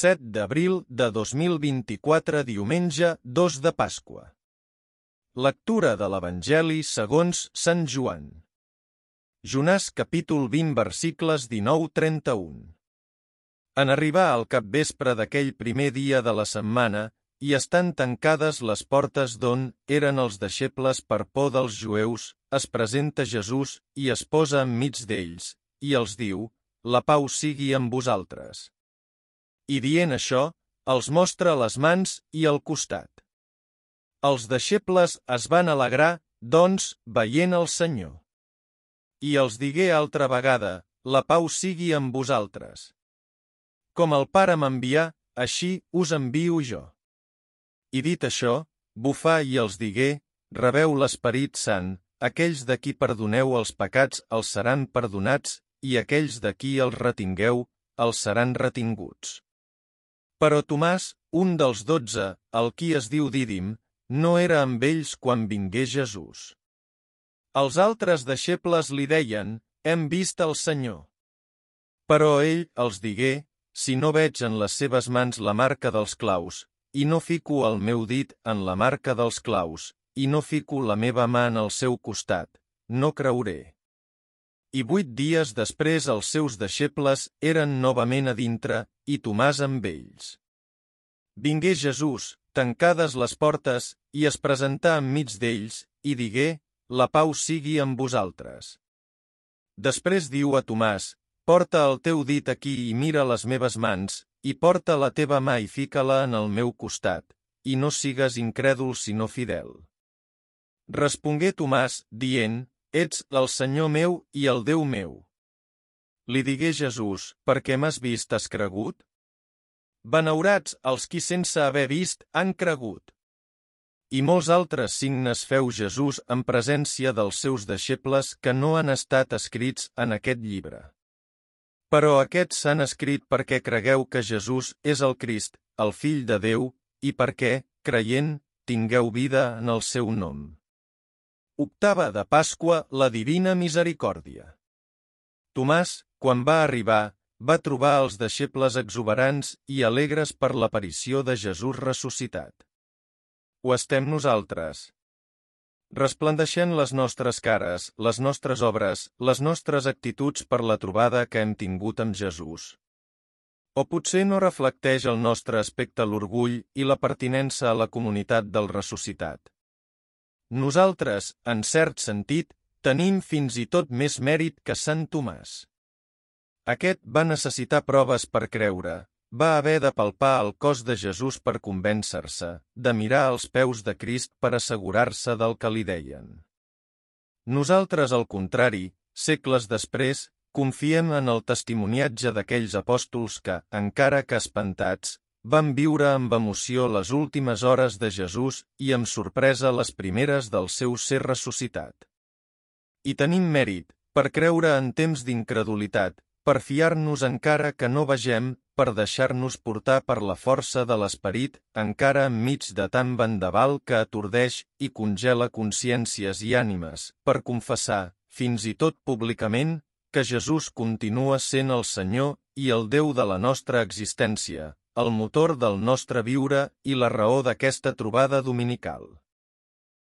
7 d'abril de 2024, diumenge 2 de Pasqua. Lectura de l'Evangeli segons Sant Joan. Jonàs capítol 20 versicles 19-31. En arribar al capvespre d'aquell primer dia de la setmana, i estan tancades les portes d'on eren els deixebles per por dels jueus, es presenta Jesús i es posa enmig d'ells, i els diu: «La pau sigui amb vosaltres». I dient això, els mostra les mans i el costat. Els deixebles es van alegrar, doncs, veient el Senyor. I els digué altra vegada: «La pau sigui amb vosaltres. Com el Pare m'envià, així us envio jo». I dit això, bufà i els digué: «Rebeu l'Esperit Sant, aquells de qui perdoneu els pecats els seran perdonats, i aquells de qui els retingueu, els seran retinguts». Però Tomàs, un dels 12, el qui es diu Dídim, no era amb ells quan vingué Jesús. Els altres deixebles li deien: «Hem vist el Senyor». Però ell els digué: «Si no veig en les seves mans la marca dels claus, i no fico el meu dit en la marca dels claus, i no fico la meva mà en el seu costat, no creuré». I 8 dies després els seus deixebles eren novament a dintre, i Tomàs amb ells. Vingué Jesús, tancades les portes, i es presentà enmig d'ells, i digué: «La pau sigui amb vosaltres». Després diu a Tomàs: «Porta el teu dit aquí i mira les meves mans, i porta la teva mà i fica-la en el meu costat, i no sigues incrèdul sinó fidel». Respongué Tomàs, dient: «Ets el Senyor meu i el Déu meu». Li digué Jesús: «Per què m'has vist has cregut? Benaurats els qui sense haver vist han cregut». I molts altres signes feu Jesús en presència dels seus deixebles que no han estat escrits en aquest llibre. Però aquests s'han escrit perquè cregueu que Jesús és el Crist, el Fill de Déu, i perquè, creient, tingueu vida en el seu nom. Octava de Pasqua, la Divina Misericòrdia. Tomàs, quan va arribar, va trobar els deixebles exuberants i alegres per l'aparició de Jesús ressuscitat. Ho estem nosaltres. Resplandeixent les nostres cares, les nostres obres, les nostres actituds per la trobada que hem tingut amb Jesús. O potser no reflecteix el nostre aspecte l'orgull i la pertinença a la comunitat del ressuscitat. Nosaltres, en cert sentit, tenim fins i tot més mèrit que Sant Tomàs. Aquest va necessitar proves per creure, va haver de palpar el cos de Jesús per convèncer-se, de mirar els peus de Crist per assegurar-se del que li deien. Nosaltres, al contrari, segles després, confiem en el testimoniatge d'aquells apòstols que, encara que espantats, van viure amb emoció les últimes hores de Jesús i amb sorpresa les primeres del seu ser ressuscitat. I tenim mèrit, per creure en temps d'incredulitat, per fiar-nos encara que no vegem, per deixar-nos portar per la força de l'Esperit, encara enmig de tant vendaval que atordeix i congela consciències i ànimes, per confessar, fins i tot públicament, que Jesús continua sent el Senyor i el Déu de la nostra existència, el motor del nostre viure i la raó d'aquesta trobada dominical.